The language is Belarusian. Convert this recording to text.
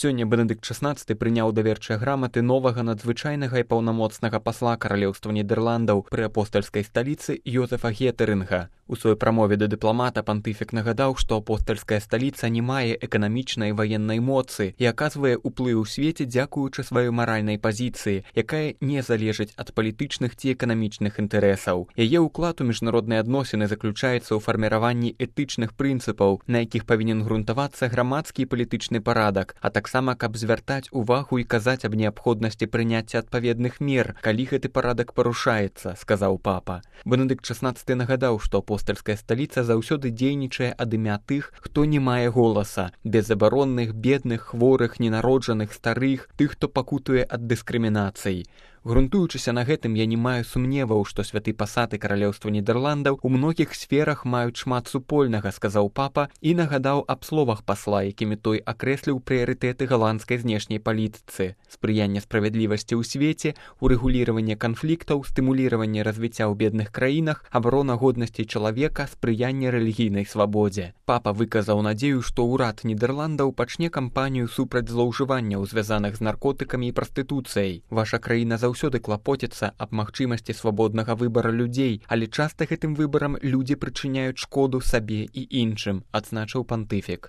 Сёння Бенедыкт XVI прыняў даверчыя граматы новага надзвычайнага і паўнамоцнага пасла Каралеўства Нідерландаў пры апостальскай сталіцы Йозефа Гетэрынга. У сваёй прамове да дыпламата пантыфік нагадаў, што апостальская сталіца не мае эканамічнай і ваеннай моцы і аказвае ўплыў у свеце дзякуючы сваёй маральнай пазіцыі, якая не залежыць ад палітычных ці эканамічных інтарэсаў. Яе ўклад у міжнародныя адносіны заключаецца ў фарміраванні этычных прынцыпаў, на якіх павінен грунтавацца грамадскі і палітычны парадак, а таксама каб звяртаць увагу і казаць аб неабходнасці прыняцця адпаведных мер, калі гэты парадак парушаецца, сказаў папа. Бенедыкт XVI нагадаў, што апостальская сталіца заўсёды дзейнічае ад імя тых, хто не мае голаса, безабаронных, бедных, хворых, ненароджаных, старых, тых, хто пакутуе ад дыскрымінацый. Грунтуючыся на гэтым, я не маю сумневаў, што святы пасад і Каралеўства Нідерландаў у многіх сферах маюць шмат супольнага, сказаў папа і нагадаў аб словах пасла, якімі той акрэсліў прыярытэты галандскай знешняй палітыцы: спрыянне справядлівасці ў свеце, урэгуліраванне канфліктаў, стымуліраванне развіцця ў бедных краінах, абарона годнасці чалавека, спрыянне рэлігійнай свабодзе. Папа выказаў надзею, што ўрад Нідерландаў пачне кампанію супраць злоўжыванняў, звязаных з наркотыкамі і прастытуцыяй. Ваша краіна заўсёды клапоціцца аб магчымасці свабоднага выбара людзей, але часта гэтым выбарам людзі прычыняюць шкоду сабе і іншым, адзначыў пантыфік.